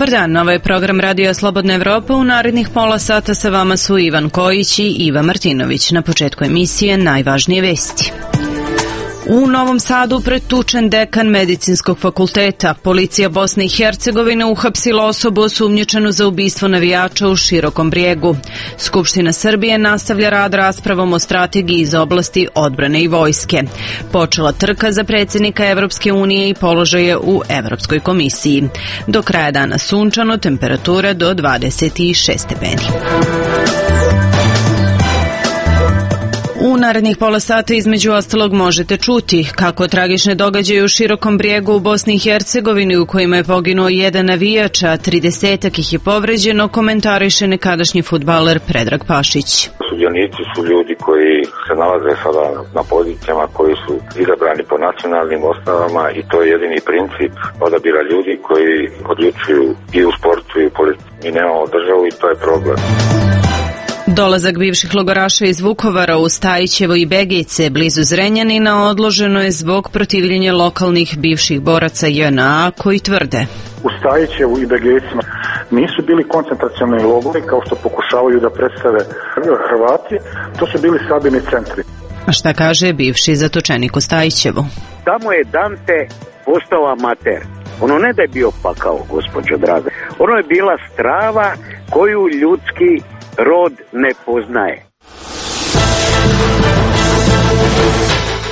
Dobar dan, ovo je program Radio Slobodna Evropa. U narednih pola sata sa vama su Ivan Kojić i Iva Martinović. Na početku emisije najvažnije vesti. U Novom Sadu pretučen dekan Medicinskog fakulteta. Policija Bosne i Hercegovine uhapsila osobu osumnjičenu za ubistvo navijača u Širokom Brijegu. Skupština Srbije nastavlja rad raspravom o strategiji iz oblasti odbrane i vojske. Počela trka za predsjednika Evropske unije i položaje u Evropskoj komisiji. Do kraja dana sunčano, temperatura do 26 stepeni. U narednih pola sata između ostalog možete čuti kako tragične događaje u Širokom Brijegu u Bosni i Hercegovini u kojima je poginuo jedan navijač, a 30-ak ih je povređeno, komentariše nekadašnji fudbaler Predrag Pašić. Sudionici su ljudi koji se nalaze sada na pozicijama koji su izabrani po nacionalnim osnovama i to je jedini princip odabira ljudi koji odlučuju i u sportu i u politici. Mi nemamo državu i to je problem. Dolazak bivših logoraša iz Vukovara u Stajićevo i Begejce blizu Zrenjanina odloženo je zbog protivljenja lokalnih bivših boraca JNA koji tvrde: u Stajićevu i Begejcima nisu bili koncentracioni logori kao što pokušavaju da predstave Hrvati, to su bili sabirni centri. A šta kaže bivši zatočenik u Stajićevu? Tamo je Dante postao amater. Ono ne da je bio pakao, gospođo draga. Ono je bila strava koju ljudski rod ne poznaje.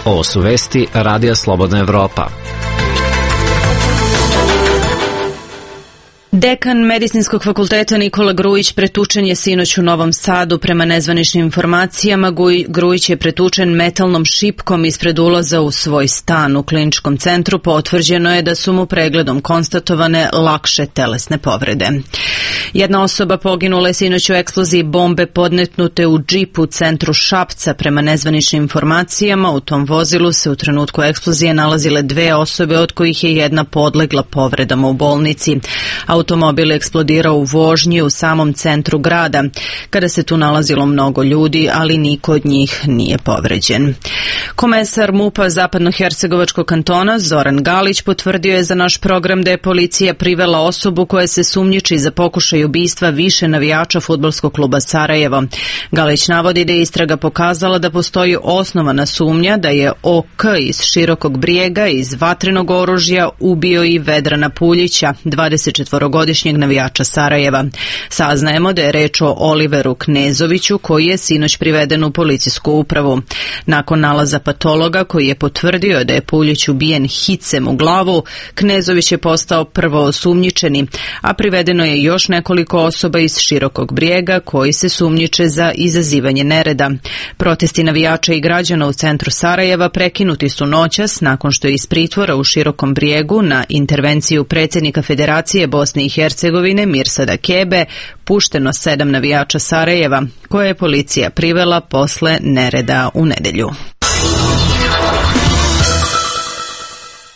Ovo su vesti Radija Slobodna Evropa. Dekan Medicinskog fakulteta Nikola Grujić pretučen je sinoć u Novom Sadu. Prema nezvaničnim informacijama, Grujić je pretučen metalnom šipkom ispred ulaza u svoj stan. U kliničkom centru potvrđeno je da su mu pregledom konstatovane lakše telesne povrede. Jedna osoba poginula je sinoć u eksploziji bombe podmetnute u džipu u centru Šapca. Prema nezvaničnim informacijama, u tom vozilu se u trenutku eksplozije nalazile dve osobe, od kojih je jedna podlegla povredama u bolnici. Automobil je eksplodirao u vožnji u samom centru grada, kada se tu nalazilo mnogo ljudi, ali niko od njih nije povređen. Komesar MUP-a Zapadnohercegovačkog kantona Zoran Galić potvrdio je za naš program da je policija privela osobu koja se sumnjiči za pokušaj ubistva više navijača fudbalskog kluba Sarajevo. Galić navodi da je istraga pokazala da postoji osnovana sumnja da je OK iz Širokog Brijega iz vatrenog oružja ubio i Vedrana Puljića, 24-godišnjeg navijača Sarajeva. Saznajemo da je reč o Oliveru Knezoviću koji je sinoć priveden u policijsku upravu. Nakon nalaza patologa koji je potvrdio da je Puljić ubijen hicem u glavu, Knezović je postao prvo osumnjičeni, a privedeno je još nekoliko osoba iz Širokog Brijega koji se sumnjiče za izazivanje nereda. Protesti navijača i građana u centru Sarajeva prekinuti su noćas nakon što je iz pritvora u Širokom Brijegu na intervenciju predsjednika Federacije Bosne i Hercegovine Mirsada Kebe pušteno 7 navijača Sarajeva koje je policija privela posle nereda u nedelju.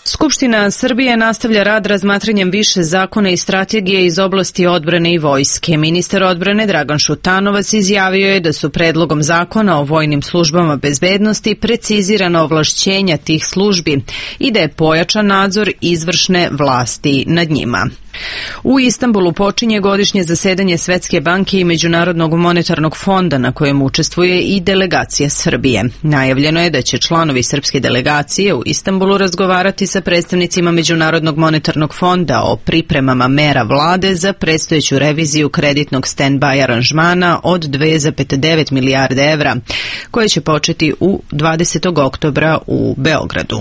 Skupština Srbije nastavlja rad razmatranjem više zakona i strategije iz oblasti odbrane i vojske. Ministar odbrane Dragan Šutanovac izjavio je da su predlogom zakona o vojnim službama bezbednosti precizirana ovlašćenja tih službi i da je pojačan nadzor izvršne vlasti nad njima. U Istanbulu počinje godišnje zasedanje Svetske banke i Međunarodnog monetarnog fonda na kojem učestvuje i delegacija Srbije. Najavljeno je da će članovi srpske delegacije u Istanbulu razgovarati sa predstavnicima Međunarodnog monetarnog fonda o pripremama mera vlade za predstojeću reviziju kreditnog stand-by aranžmana od 2,9 milijarde evra, koje će početi u 20. oktobra u Beogradu.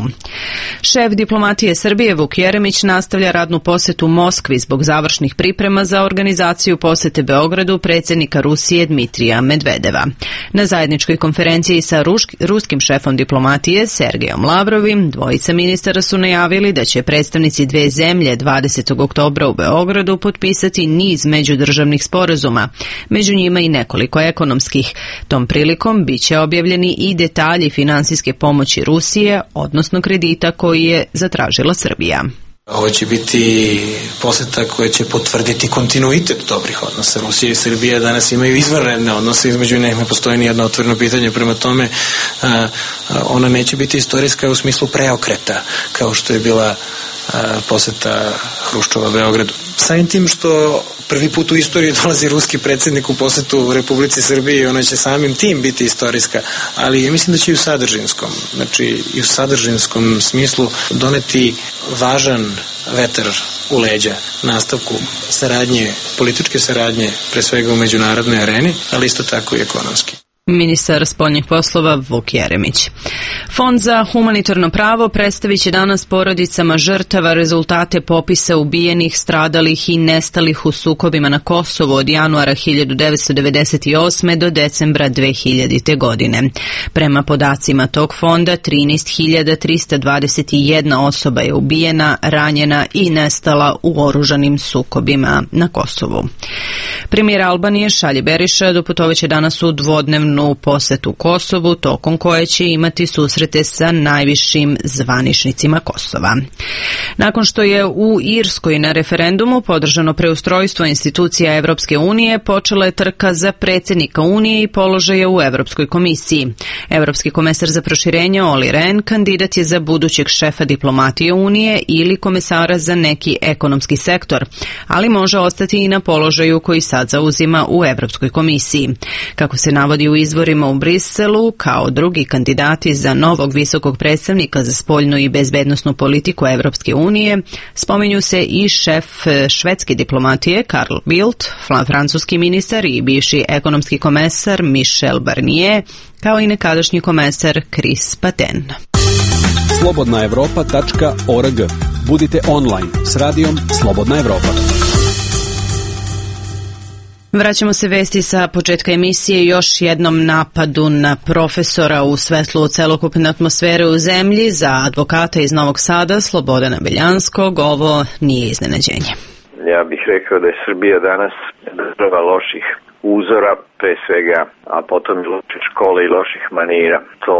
Šef diplomatije Srbije Vuk Jeremić nastavlja radnu posetu Moskvi zbog završnih priprema za organizaciju posete Beogradu predsjednika Rusije Dmitrija Medvedeva. Na zajedničkoj konferenciji sa ruskim šefom diplomatije Sergejom Lavrovim, dvojica ministara su najavili da će predstavnici dve zemlje 20. oktobra u Beogradu potpisati niz međudržavnih sporazuma, među njima i nekoliko ekonomskih. Tom prilikom biće objavljeni i detalji finansijske pomoći Rusije, odnosno kredita koji je zatražila Srbija. Ovo će biti poseta koja će potvrditi kontinuitet dobrih odnosa. Rusija i Srbija danas imaju izvanredne odnose, između njih ne postoji ni jedno otvoreno pitanje, prema tome ona neće biti istorijska u smislu preokreta kao što je bila poseta Hruščova Beogradu. Samim tim što prvi put u istoriji dolazi ruski predsjednik u posetu Republici Srbiji i ona će samim tim biti istorijska, ali ja mislim da će i u sadržinskom, znači i u sadržinskom smislu doneti važan vetar u leđa nastavku saradnje, političke saradnje, pre svega u međunarodnoj areni, ali isto tako i ekonomski. Ministar spoljnih poslova Vuk Jeremić. Fond za humanitarno pravo predstavit će danas porodicama žrtava rezultate popisa ubijenih, stradalih i nestalih u sukobima na Kosovu od januara 1998. do decembra 2000. godine. Prema podacima tog fonda, 13.321 osoba je ubijena, ranjena i nestala u oružanim sukobima na Kosovu. Premijer Albanije Šalji Beriša doputovaće danas u dvodnevnu posetu Kosovu, tokom koje će imati susrete sa najvišim zvaničnicima Kosova. Nakon što je u Irskoj na referendumu podržano preustrojstvo institucija Evropske unije, počela je trka za predsjednika Unije i položaja u Evropskoj komisiji. Evropski komesar za proširenje Olli Rehn kandidat je za budućeg šefa diplomatije Unije ili komesara za neki ekonomski sektor, ali može ostati i na položaju koji sad zauzima u Evropskoj komisiji. Kako se navodi u izvorima u Briselu, kao drugi kandidati za novog visokog predstavnika za spoljnu i bezbednosnu politiku Evropske unije, spominju se i šef švedske diplomatije Carl Bildt, francuski ministar i bivši ekonomski komesar Michel Barnier, kao i nekadašnji komesar Chris Patten. Slobodnaevropa.org. Budite online s radijom Slobodna Evropa. Vraćamo se vesti sa početka emisije još jednom napadu na profesora u svetlu celokupne atmosfere u zemlji. Za advokata iz Novog Sada, Slobodana Beljanskog, ovo nije iznenađenje. Ja bih rekao da je Srbija danas država loših uzora, pre svega, a potom i loše škole i loših manira. To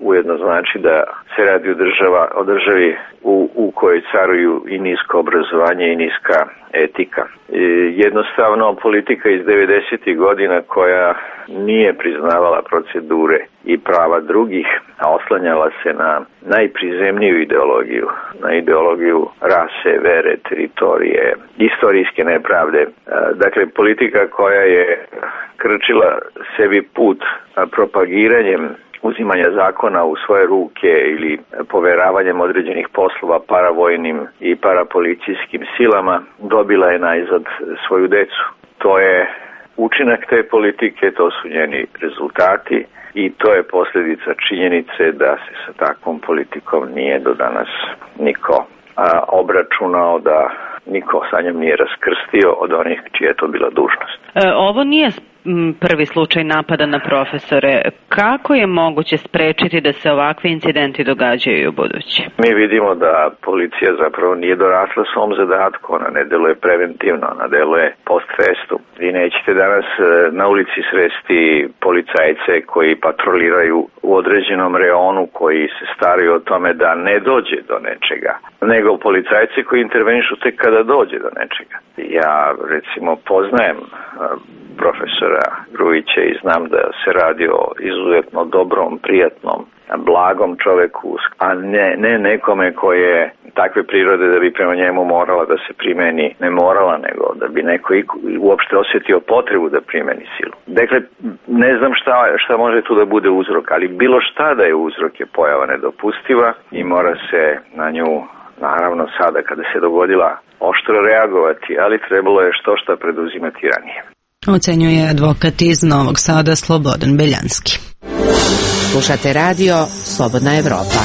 ujedno znači da se radi o državi u kojoj caruju i nisko obrazovanje i niska etika. Jednostavno politika iz 90. godina koja nije priznavala procedure i prava drugih, a oslanjala se na najprizemniju ideologiju, na ideologiju rase, vere, teritorije, istorijske nepravde. Dakle, politika koja je krčila sebi put propagiranjem uzimanja zakona u svoje ruke ili poveravanjem određenih poslova paravojnim i parapolicijskim silama, dobila je najzad svoju decu. To je učinak te politike, to su njeni rezultati i to je posljedica činjenice da se sa takvom politikom nije do danas niko obračunao, da niko sa njom nije raskrstio od onih čija je to bila dužnost. Ovo nije prvi slučaj napada na profesore. Kako je moguće sprečiti da se ovakvi incidenti događaju u budući? Mi vidimo da policija zapravo nije dorasla svom zadatku, ona ne deluje preventivno, ona deluje post festum. Vi nećete danas na ulici sresti policajce koji patroliraju u određenom reonu, koji se staraju o tome da ne dođe do nečega, nego policajci koji intervenišu tek kada dođe do nečega. Ja recimo poznajem profesora Grujića i znam da se radi o izuzetno dobrom, prijatnom, blagom čoveku, a ne nekome koji je takve prirode da bi prema njemu morala da se primeni, ne morala, nego da bi neko uopšte osjetio potrebu da primeni silu. Dakle, ne znam šta može tu da bude uzrok, ali bilo šta da je uzrok je pojava nedopustiva i mora se na nju, naravno sada kada se dogodila, oštro reagovati, ali trebalo je što preduzimati ranije. Ocenjuje advokat iz Novog Sada Slobodan Beljanski. Slušate radio Slobodna Evropa.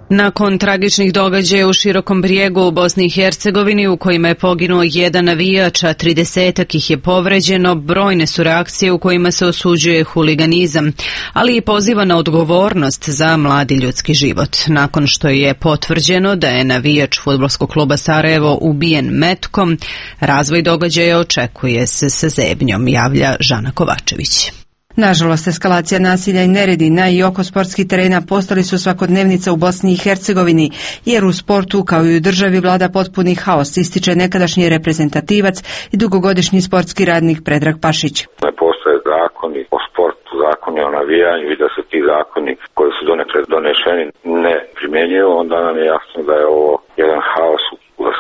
Nakon tragičnih događaja u Širokom Brijegu u Bosni i Hercegovini u kojima je poginuo jedan navijač, a 30 ih je povređeno, brojne su reakcije u kojima se osuđuje huliganizam, ali i poziva na odgovornost za mladi ljudski život. Nakon što je potvrđeno da je navijač fudbalskog kluba Sarajevo ubijen metkom, razvoj događaja očekuje se sa zebnjom, javlja Žana Kovačević. Nažalost, eskalacija nasilja i neredi na i oko sportskih terena postali su svakodnevnica u Bosni i Hercegovini, jer u sportu kao i u državi vlada potpuni haos, ističe nekadašnji reprezentativac i dugogodišnji sportski radnik Predrag Pašić. Ne postoje zakoni o sportu zakoni o navijanju i da se ti zakoni koji su donekle donešeni ne primjenjuju, onda nam je jasno da je ovo jedan haos.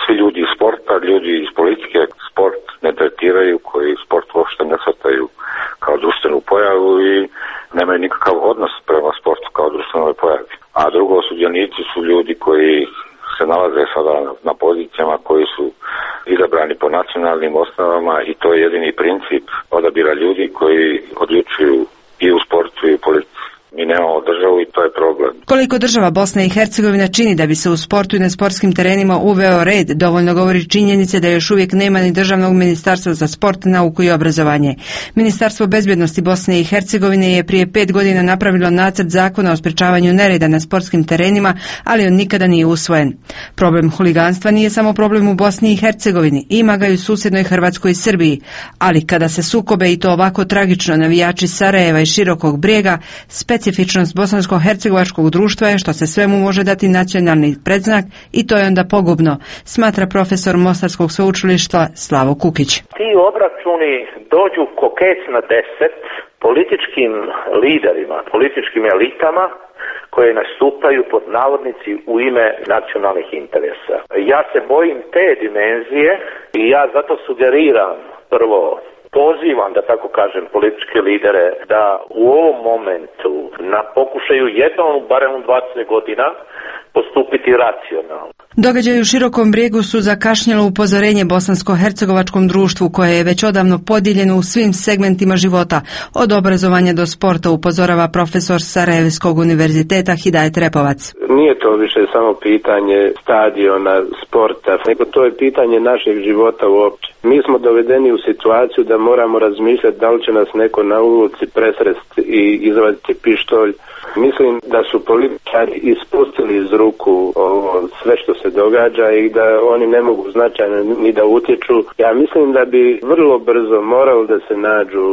Svi ljudi iz sporta, ljudi iz politike sport ne tretiraju, koji sport uopšte ne shvataju kao društvenu pojavu i nemaju nikakav odnos prema sportu kao društvenoj pojavi. A drugo, sudionici su ljudi koji se nalaze sada na pozicijama koji su izabrani po nacionalnim osnovama i to je jedini princip odabira ljudi koji odlučuju i u sportu i u politici. Mi nemamo državu i to je problem. Koliko država Bosna i Hercegovina čini da bi se u sportu i na sportskim terenima uveo red, dovoljno govori činjenice da još uvijek nema ni državnog ministarstva za sport, nauku i obrazovanje. Ministarstvo bezbjednosti Bosne i Hercegovine je prije 5 godina napravilo nacrt zakona o sprečavanju nereda na sportskim terenima, ali on nikada nije usvojen. Problem huliganstva nije samo problem u Bosni i Hercegovini, ima ga i u susjednoj Hrvatskoj i Srbiji, ali kada se sukobe i to ovako tragično navijači Sarajeva i Širokog Brijega, specifičnost bosansko-hercegovačkog društva je što se svemu može dati nacionalni predznak i to je onda pogubno, smatra profesor Mostarskog sveučilišta Slavo Kukić. Ti obračuni dođu ko kec na 10 političkim liderima, političkim elitama koje nastupaju pod navodnici u ime nacionalnih interesa. Ja se bojim te dimenzije i ja zato sugeriram prvo, pozivam, da tako kažem, političke lidere da u ovom momentu na pokušaju jednom, barem u 20 godina, postupiti racionalno. Događaji u Širokom Brijegu su zakašnjelo upozorenje bosansko-hercegovačkom društvu koje je već odavno podijeljeno u svim segmentima života, od obrazovanja do sporta, upozorava profesor Sarajevskog univerziteta Hidajet Repovac. Nije to više samo pitanje stadiona, sporta, nego to je pitanje našeg života uopće. Mi smo dovedeni u situaciju da moramo razmišljati da li će nas neko na ulici presresti i izvaditi pištolj. Mislim da su političari ispustili iz ruku ovo sve što se događa i da oni ne mogu značajno ni da utječu. Ja mislim da bi vrlo brzo moralo da se nađu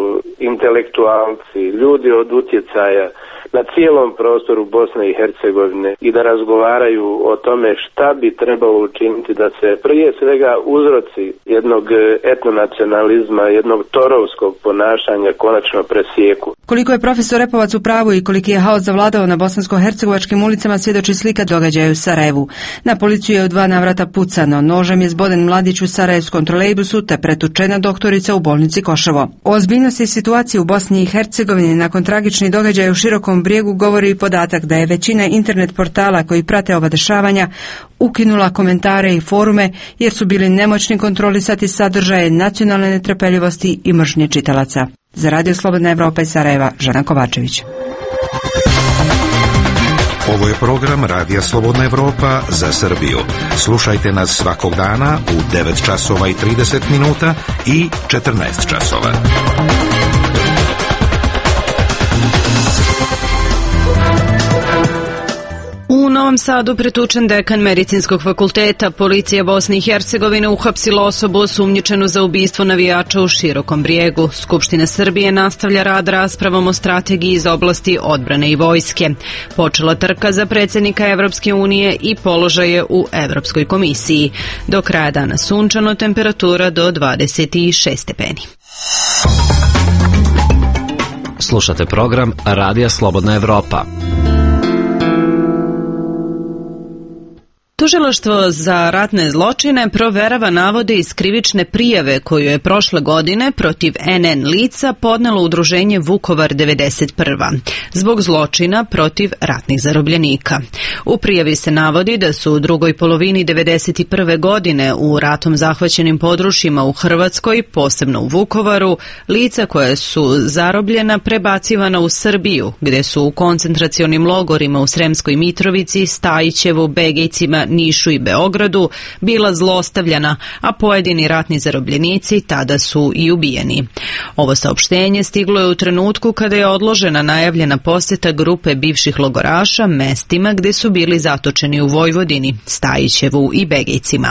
intelektualci, ljudi od utjecaja na cijelom prostoru Bosne i Hercegovine i da razgovaraju o tome šta bi trebalo učiniti da se prije svega uzroci jednog etnonacionalizma, jednog torovskog ponašanja konačno presijeku. Koliko je profesor Repovac u pravu i koliki je haos zavladao na bosansko-hercegovačkim ulicama svjedoči slika događaja u Sarajevu. Na policiju je u 2 navrata pucano, nožem je zboden mladić u sarajevskom trolejbusu te pretučena doktorica u bolnici Koševo. O ozbiljnosti situacije u Bosni i Hercegovini nakon tragičnih događaja u Širokom Brijegu govori i podatak da je većina internet portala koji prate ova dešavanja ukinula komentare i forume jer su bili nemoćni kontrolisati sadržaje nacionalne netrpeljivosti i mržnje čitalaca. Za Radio Slobodna Evropa iz Sarajeva, Žana Kovačević. Ovo je program Radija Slobodna Evropa za Srbiju. Slušajte nas svakog dana u 9 časova i 30 minuta i 14 časova. U Novom Sadu pretučen dekan Medicinskog fakulteta. Policija Bosne i Hercegovine uhapsila osobu osumnjičenu za ubistvo navijača u Širokom Brijegu. Skupština Srbije nastavlja rad raspravom o strategiji iz oblasti odbrane i vojske. Počela trka za predsjednika Evropske unije i položaje u Evropskoj komisiji. Do kraja dana sunčano, temperatura do 26 stepeni. Slušate program Radija Slobodna Evropa. Tužilaštvo za ratne zločine proverava navode iz krivične prijave koju je prošle godine protiv NN lica podnelo udruženje Vukovar 91. zbog zločina protiv ratnih zarobljenika. U prijavi se navodi da su u drugoj polovini 91. godine u ratom zahvaćenim područjima u Hrvatskoj, posebno u Vukovaru, lica koja su zarobljena prebacivana u Srbiju, gdje su u koncentracionim logorima u Sremskoj Mitrovici, Stajićevu, Begejcima, Nišu i Beogradu bila zlostavljana, a pojedini ratni zarobljenici tada su i ubijeni. Ovo saopštenje stiglo je u trenutku kada je odložena najavljena posjeta grupe bivših logoraša mestima gdje su bili zatočeni u Vojvodini, Stajićevu i Begejcima.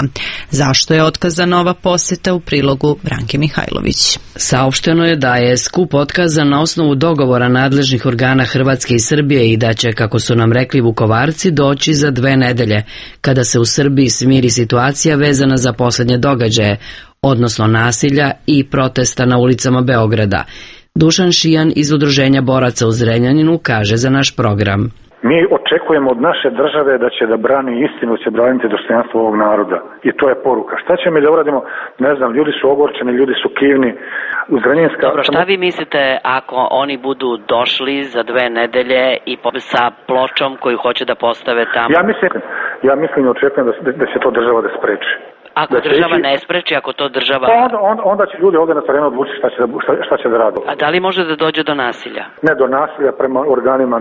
Zašto je otkazana ova posjeta, u prilogu Branke Mihajlović. Saopšteno je da je skup otkazan na osnovu dogovora nadležnih organa Hrvatske i Srbije i da će, kako su nam rekli Vukovarci, doći za 2 nedelje, kada se u Srbiji smiri situacija vezana za posljednje događaje, odnosno nasilja i protesta na ulicama Beograda. Dušan Šijan iz Udruženja boraca u Zrenjaninu kaže za naš program. Mi očekujemo od naše države da će da brani istinu, da će braniti dostojanstvo ovog naroda. I to je poruka. Šta ćemo mi da uradimo? Ne znam, ljudi su ogorčeni, ljudi su kivni. Dobro, šta vi mislite ako oni budu došli za 2 nedelje i sa pločom koju hoće da postave tamo? Ja mislim i očekujem da će to država da spreči. Ako država ne spreči, ako to država... Onda će ljudi ovdje na terenu odlučiti šta će da rade. A da li može da dođe do nasilja? Ne do nasilja prema organima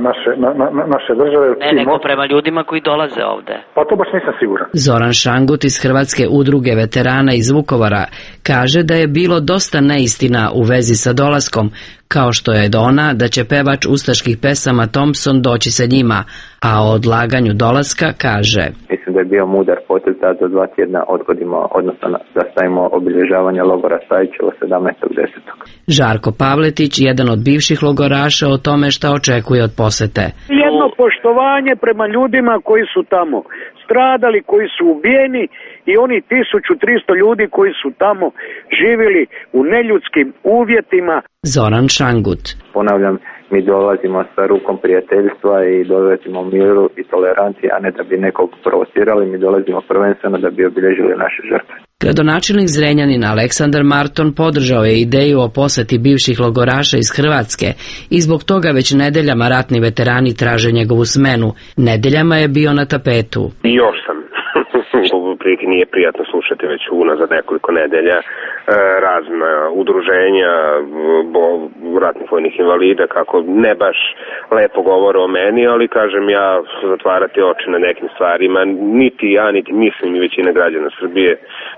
naše države. Ne, nego prema ljudima koji dolaze ovde. Pa to baš nisam siguran. Zoran Šangut iz Hrvatske udruge veterana iz Vukovara kaže da je bilo dosta neistina u vezi sa dolaskom, kao što je ona da će pevač ustaških pesama Thompson doći sa njima, a o odlaganju dolaska kaže: Mislim da je bio mudar potez da do 2 tjedna odgodimo, odnosno da stavimo obilježavanje logora Stajićevo 17.10. Žarko Pavletić, jedan od bivših logoraša, o tome šta očekuje od posete. Jedno poštovanje prema ljudima koji su tamo stradali, koji su ubijeni i oni 1300 ljudi koji su tamo živjeli u neljudskim uvjetima. Zoran Šangut. Ponavljam, mi dolazimo sa rukom prijateljstva i dolazimo miru i tolerancije, a ne da bi nekog provocirali, mi dolazimo prvenstveno da bi obilježili naše žrtve. Gradonačelnik Zrenjanina Aleksandar Marton podržao je ideju o poseti bivših logoraša iz Hrvatske i zbog toga već nedeljama ratni veterani traže njegovu smenu. Nedeljama je bio na tapetu. Još sam. Prilike nije prijatno slušati već unazad nekoliko nedelja razna udruženja ratnih vojnih invalida kako ne baš lepo govore o meni, ali kažem ja zatvarati oči na nekim stvarima niti ja niti mislim i većina građana Srbije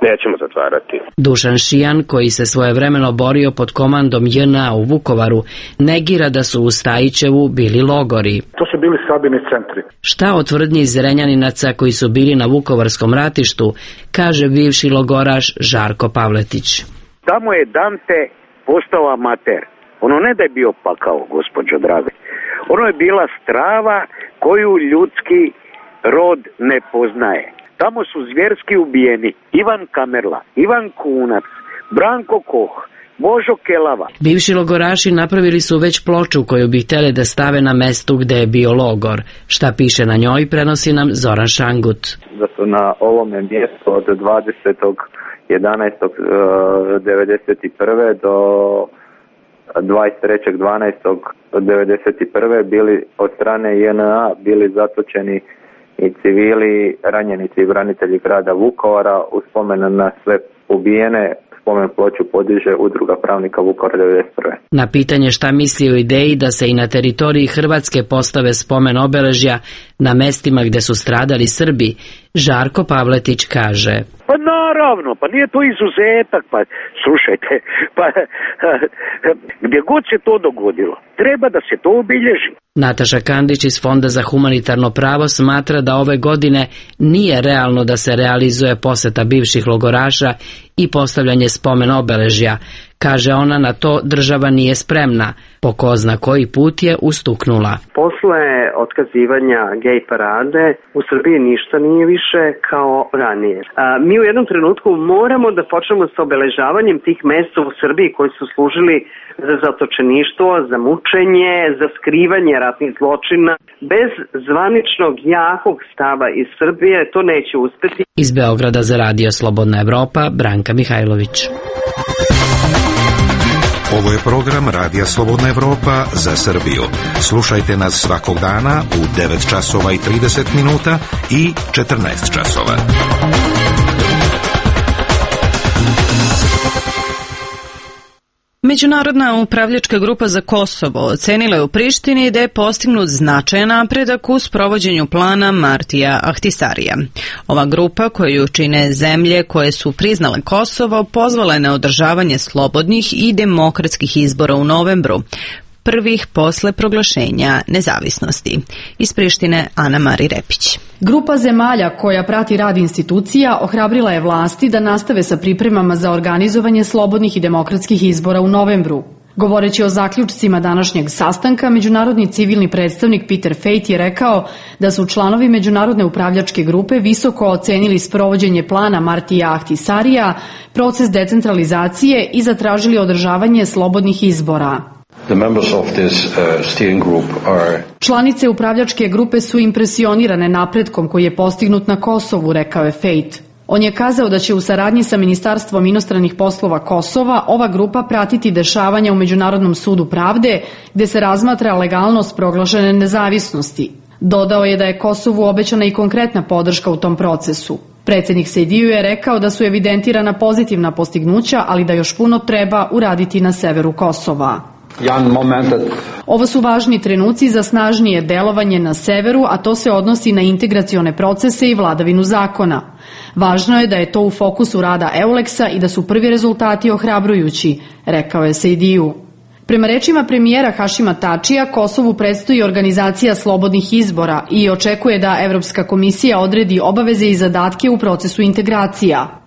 nećemo zatvarati. Dušan Šijan, koji se svojevremeno borio pod komandom JNA u Vukovaru, negira da su u Stajićevu bili logori. To su bili sabirni centri. Šta o tvrdnji Zrenjaninaca koji su bili na Vukovarskom ratištu, kaže bivši logoraš Žarko Pavletić. Tamo je Dante postao amater. Ono ne da je bio pakao, gospođo draga. Ono je bila strava koju ljudski rod ne poznaje. Tamo su zvjerski ubijeni Ivan Kamerla, Ivan Kunac, Branko Koh, Božo Kelava. Bivši logoraši napravili su već ploču koju bi htjeli da stave na mestu gde je bio logor. Šta piše na njoj prenosi nam Zoran Šangut. Da su na ovome mjestu od 20.11.1991. do 23.12.1991. bili od strane JNA bili zatočeni i civili, ranjenici i branitelji grada Vukovara. U spomen na sve ubijene spomen ploču podiže Udruga pravnika Vukovara 1991. Na pitanje šta misli o ideji da se i na teritoriji Hrvatske postave spomen obeležja na mestima gde su stradali Srbi, Žarko Pavletić kaže: Pa naravno, pa nije to izuzetak, pa slušajte, pa gdje god se to dogodilo, treba da se to obilježi. Nataša Kandić iz Fonda za humanitarno pravo smatra da ove godine nije realno da se realizuje poseta bivših logoraša i postavljanje spomen obeležja. Kaže ona, na to država nije spremna. Po ko zna koji put je ustuknula. Posle otkazivanja gej parade u Srbiji ništa nije više kao ranije. Mi u jednom trenutku moramo da počnemo sa obeležavanjem tih mesta u Srbiji koji su služili za zatočeništvo, za mučenje, za skrivanje ratnih zločina. Bez zvaničnog jakog stava iz Srbije to neće uspeti. Iz Beograda za Radio Slobodna Evropa, Branka Mihajlović. Ovo je program Radija Slobodna Evropa za Srbiju. Slušajte nas svakog dana u 9 časova i 30 minuta i 14 časova. Međunarodna upravljačka grupa za Kosovo ocenila je u Prištini da je postignut značajan napredak u sprovođenju plana Martija Ahtisarija. Ova grupa, koju čine zemlje koje su priznale Kosovo, pozvala je na održavanje slobodnih i demokratskih izbora u novembru, prvih posle proglašenja nezavisnosti. Iz Prištine Ana Mari Repić. Grupa zemalja koja prati rad institucija ohrabrila je vlasti da nastave sa pripremama za organizovanje slobodnih i demokratskih izbora u novembru. Govoreći o zaključcima današnjeg sastanka, međunarodni civilni predstavnik Peter Fate je rekao da su članovi međunarodne upravljačke grupe visoko ocenili sprovođenje plana Martija Ahtisarija, proces decentralizacije i zatražili održavanje slobodnih izbora. Članice upravljačke grupe su impresionirane napretkom koji je postignut na Kosovu, rekao je Fejt. On je kazao da će u saradnji sa Ministarstvom inostranih poslova Kosova ova grupa pratiti dešavanja u Međunarodnom sudu pravde, gde se razmatra legalnost proglašene nezavisnosti. Dodao je da je Kosovu obećana i konkretna podrška u tom procesu. Predsjednik Sejdiju je rekao da su evidentirana pozitivna postignuća, ali da još puno treba uraditi na severu Kosova. Ovo su važni trenuci za snažnije delovanje na severu, a to se odnosi na integracione procese i vladavinu zakona. Važno je da je to u fokusu rada EULEX-a i da su prvi rezultati ohrabrujući, rekao je Sejdiju. Prema rečima premijera Hašima Tačija, Kosovu predstoji organizacija slobodnih izbora i očekuje da Evropska komisija odredi obaveze i zadatke u procesu integracija.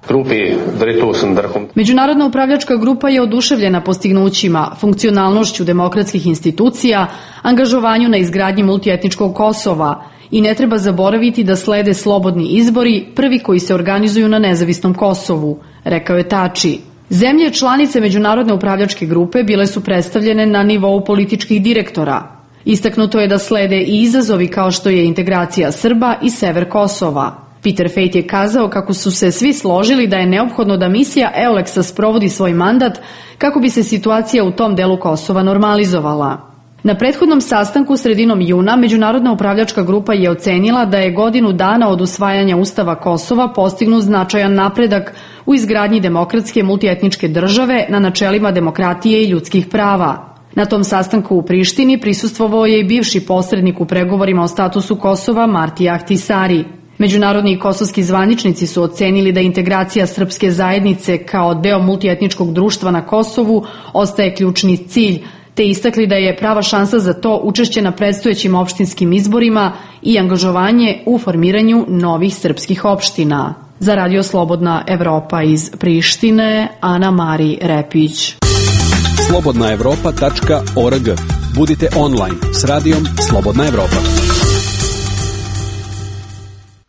Međunarodna upravljačka grupa je oduševljena postignućima, funkcionalnošću demokratskih institucija, angažovanju na izgradnji multietničkog Kosova i ne treba zaboraviti da slede slobodni izbori, prvi koji se organizuju na nezavisnom Kosovu, rekao je Tači. Zemlje članice Međunarodne upravljačke grupe bile su predstavljene na nivou političkih direktora. Istaknuto je da slede i izazovi kao što je integracija Srba i sever Kosova. Peter Fejt je kazao kako su se svi složili da je neophodno da misija EULEX-a sprovodi svoj mandat kako bi se situacija u tom delu Kosova normalizovala. Na prethodnom sastanku sredinom juna Međunarodna upravljačka grupa je ocenila da je godinu dana od usvajanja Ustava Kosova postignut značajan napredak u izgradnji demokratske multietničke države na načelima demokratije i ljudskih prava. Na tom sastanku u Prištini prisustvovao je i bivši posrednik u pregovorima o statusu Kosova Marti Ahtisari. Međunarodni i kosovski zvaničnici su ocenili da integracija srpske zajednice kao deo multietničkog društva na Kosovu ostaje ključni cilj, te istakli da je prava šansa za to učešće na predstojećim opštinskim izborima i angažovanje u formiranju novih srpskih opština. Za Radio Slobodna Evropa iz Prištine, Ana Mari Repić. slobodnaevropa.org. Budite online s radijom Slobodna Evropa.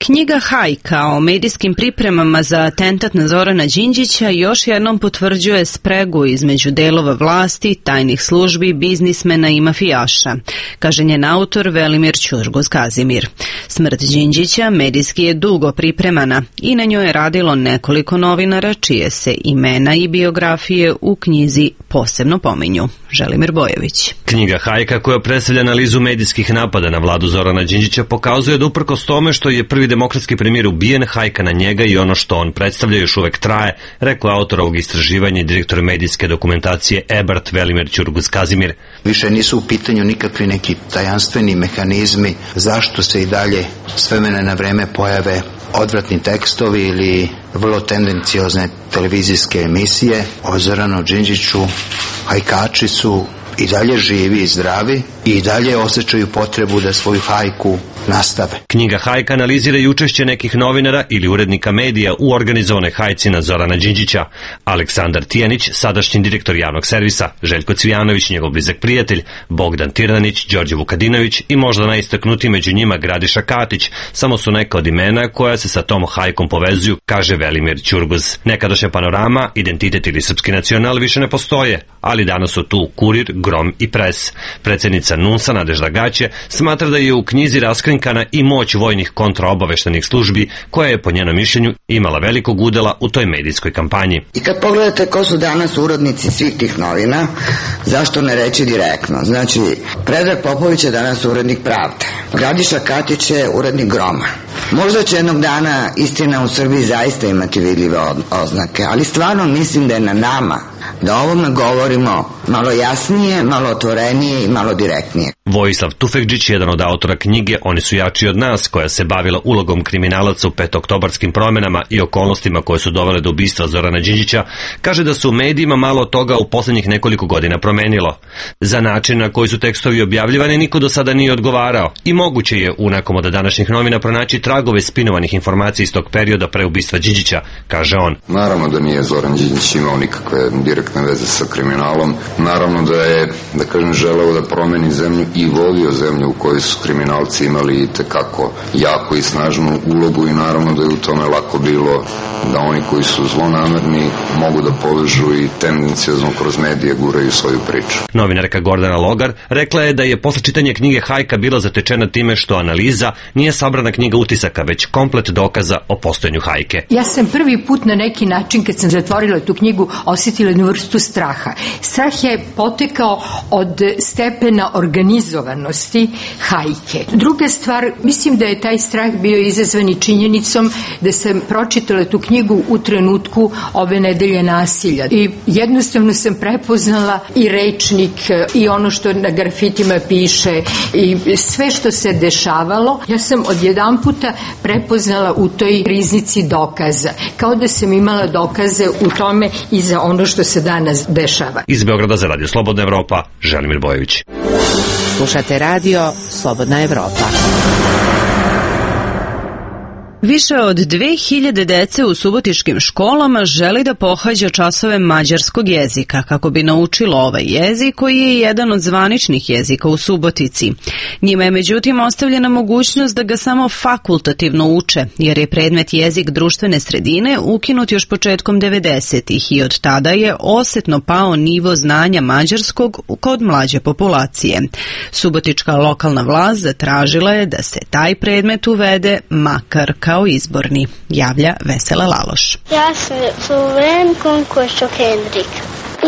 Knjiga Hajka o medijskim pripremama za atentat na Zorana Đinđića još jednom potvrđuje spregu između delova vlasti, tajnih službi, biznismena i mafijaša, kaže njen autor Velimir Ćurgos-Kazimir. Smrt Đinđića medijski je dugo pripremana i na njoj je radilo nekoliko novinara čije se imena i biografije u knjizi posebno pominju. Želimir Bojević. Knjiga Hajka, koja predstavlja analizu medijskih napada na vladu Zorana Đinđića, pokazuje da uprkos tome što je prvi demokratski premijer ubijen, hajka na njega i ono što on predstavlja još uvek traje, rekao autor ovog istraživanja i direktor medijske dokumentacije EBRT Velimir Ćurgos-Kazimir. Više nisu u pitanju nikakvi neki tajanstveni mehanizmi zašto se i dalje s vremena na vreme pojave odvratni tekstovi ili vrlo tendenciozne televizijske emisije o Zoranu Đinđiću. Hajkači su i dalje živi i zdravi i dalje osjećaju potrebu da svoju hajku nastave. Knjiga Hajka analizira i učešće nekih novinara ili urednika medija u organizovanoj hajci na Zorana Đinđića. Aleksandar Tijanić, sadašnji direktor javnog servisa, Željko Cvijanović, njegov blizak prijatelj, Bogdan Tirnanić, Đorđe Vukadinović i možda najistaknutiji među njima Gradiša Katić, samo su neka od imena koja se sa tom hajkom povezuju, kaže Velimir Ćurgos. Nekadašnja Panorama, Identitet ili Srpski nacional više ne postoje, ali danas su tu Kurir, Grom i Pres. Predsjednica NUNS-a Nadežda Gaće smatra da je u knjizi raskrinkana i moć vojnih kontraobaveštajnih službi, koja je po njenom mišljenju imala velikog udela u toj medijskoj kampanji. I kad pogledate ko su danas urednici svih tih novina, zašto ne reći direktno? Znači, Predrag Popović je danas urednik Pravde, Gradiša Katić je urednik Groma. Možda će jednog dana istina u Srbiji zaista imati vidljive oznake, ali stvarno mislim da je na nama da o ovome govorimo malo jasnije, malo otvorenije i malo direktnije. Vojislav Tufekđić, jedan od autora knjige Oni su jači od nas, koja se bavila ulogom kriminalaca u petooktobarskim promjenama i okolnostima koje su dovele do ubistva Zorana Đinđića, kaže da su u medijima malo toga u posljednjih nekoliko godina promenilo. Za način na koji su tekstovi objavljivani niko do sada nije odgovarao i moguće je u nekom od današnjih novina pronaći tragove spinovanih informacija iz tog perioda pre ubistva Đinđića, kaže on. Naravno da nije Zoran Đinđić imao nikakve direktne veze sa kriminalom. Naravno da je, da kažem, želeo da promeni zemlju i vodio zemlju u kojoj su kriminalci imali i tekako jako i snažnu ulogu i naravno da je u tome lako bilo da oni koji su zlonamerni mogu da povežu i tendenciozno kroz medije guraju svoju priču. Novinarka Gordana Logar rekla je da je posle čitanja knjige Hajka bila zatečena time što analiza nije sabrana knjiga utisaka, već komplet dokaza o postojanju Hajke. Ja sam prvi put na neki način, kad sam zatvorila tu knjigu, osjetila jednu vrstu straha. Strah je potekao od stepena organizovanosti Hajke. Druga stvar, mislim da je taj strah bio izazvan i činjenicom da sam pročitala tu knjigu u trenutku ove nedelje nasilja. I jednostavno sam prepoznala i rečnik i ono što na grafitima piše i sve što se dešavalo. Ja sam odjedanputa prepoznala u toj riznici dokaza. Kao da sam imala dokaze u tome i za ono što se danas dešava. Iz Beograda za Radio Slobodna Evropa, Želimir Bojović. Slušate radio Slobodna Evropa. Više od 2000 dece u subotičkim školama želi da pohađa časove mađarskog jezika kako bi naučilo ovaj jezik koji je jedan od zvaničnih jezika u Subotici. Njima je međutim ostavljena mogućnost da ga samo fakultativno uče jer je predmet jezik društvene sredine ukinut još početkom 90-ih i od tada je osetno pao nivo znanja mađarskog kod mlađe populacije. Subotička lokalna vlast zatražila je da se taj predmet uvede makar kao izborni, javlja Vesela Laloš. Ja sam Sloven Konkošo Hendrik.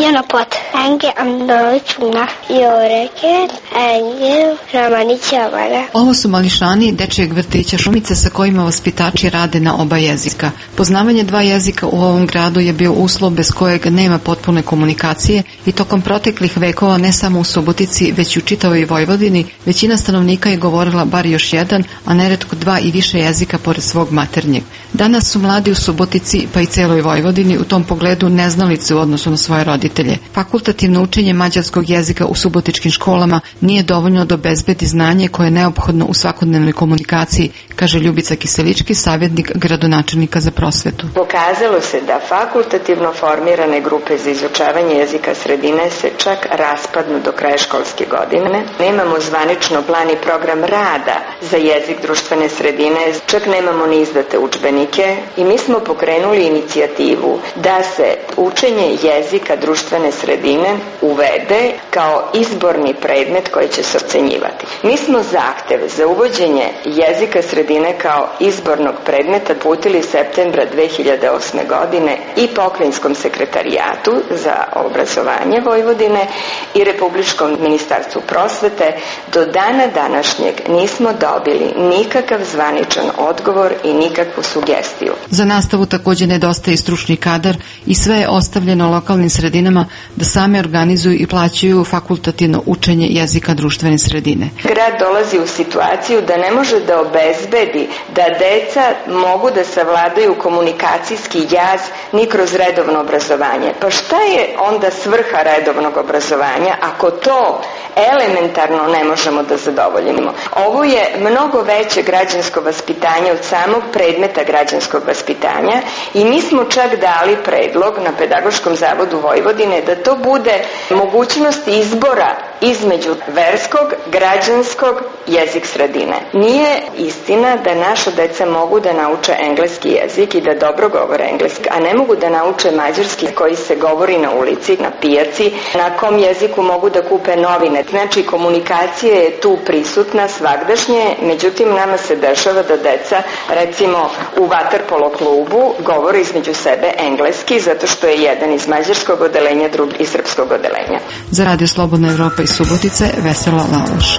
Jana pot. Enge Androvićuna i Oreket, Enge Ramanićavana. Ovo su mališani dečijeg vrtića Šumice sa kojima vaspitači rade na oba jezika. Poznavanje dva jezika u ovom gradu je bio uslov bez kojeg nema potpune komunikacije i tokom proteklih vekova ne samo u Subotici, već i u čitavoj Vojvodini, većina stanovnika je govorila bar još jedan, a neretko dva i više jezika pored svog maternjeg. Danas su mladi u Subotici, pa i celoj Vojvodini, u tom pogledu neznalice u odnosu na svoje roditelje. Fakultativno učenje mađarskog jezika u subotičkim školama nije dovoljno da obezbedi znanje koje je neophodno u svakodnevnoj komunikaciji, kaže Ljubica Kiselički, savjetnik gradonačelnika za prosvetu. Pokazalo se da fakultativno formirane grupe za izučavanje jezika sredine se čak raspadnu do kraja školske godine. Nemamo zvanično plan i program rada za jezik društvene sredine, čak nemamo ni izdate udžbenike i mi smo pokrenuli inicijativu da se učenje jezika društvene sredine uvede kao izborni predmet koji će se ocenjivati. Mi smo zahtev za uvođenje jezika sredine kao izbornog predmeta uputili septembra 2008. godine i Pokrajinskom sekretarijatu za obrazovanje Vojvodine i Republičkom ministarstvu prosvete. Do dana današnjeg nismo dobili nikakav zvaničan odgovor i nikakvu sugestiju. Za nastavu također nedostaje stručni kadar i sve je ostavljeno lokalnim sredinama da same organizuju i plaćaju fakultativno učenje jezika društvene sredine. Grad dolazi u situaciju da ne može da obezbedi da deca mogu da savladaju komunikacijski jaz ni kroz redovno obrazovanje. Pa šta je onda svrha redovnog obrazovanja ako to elementarno ne možemo da zadovoljimo? Ovo je mnogo veće građansko vaspitanje od samog predmeta građanskog vaspitanja i mi smo čak dali predlog na Pedagoškom zavodu Vojvodine da to bude mogućnost izbora između verskog, građanskog, jezik sredine. Nije istina da naša deca mogu da nauče engleski jezik i da dobro govore engleski, a ne mogu da nauče mađarski koji se govori na ulici, na pijaci, na kom jeziku mogu da kupe novine. Znači, komunikacija je tu prisutna svagdašnje, međutim, nama se dešava da deca, recimo, u vaterpolo klubu govore između sebe engleski, zato što je jedan iz mađarskog odeljenja, drugi iz srpskog odeljenja. Za Radio Slobodna Evropa iz Subotice, Vesela Laloš.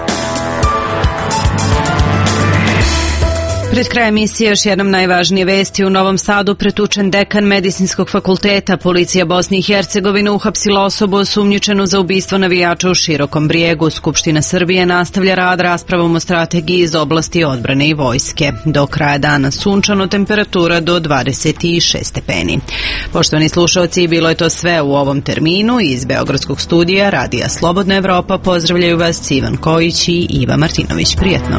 Pred kraj emisije još jednom najvažnije vesti. U Novom Sadu pretučen dekan Medicinskog fakulteta. Policija Bosne i Hercegovine uhapsila osobu osumnjičenu za ubistvo navijača u Širokom Brijegu. Skupština Srbije nastavlja rad raspravom o strategiji iz oblasti odbrane i vojske. Do kraja dana sunčano, temperatura do 26 stepeni. Poštovani slušalci, bilo je to sve u ovom terminu. Iz Beogradskog studija Radija Slobodna Evropa pozdravljaju vas Ivan Kojić i Iva Martinović. Prijetno.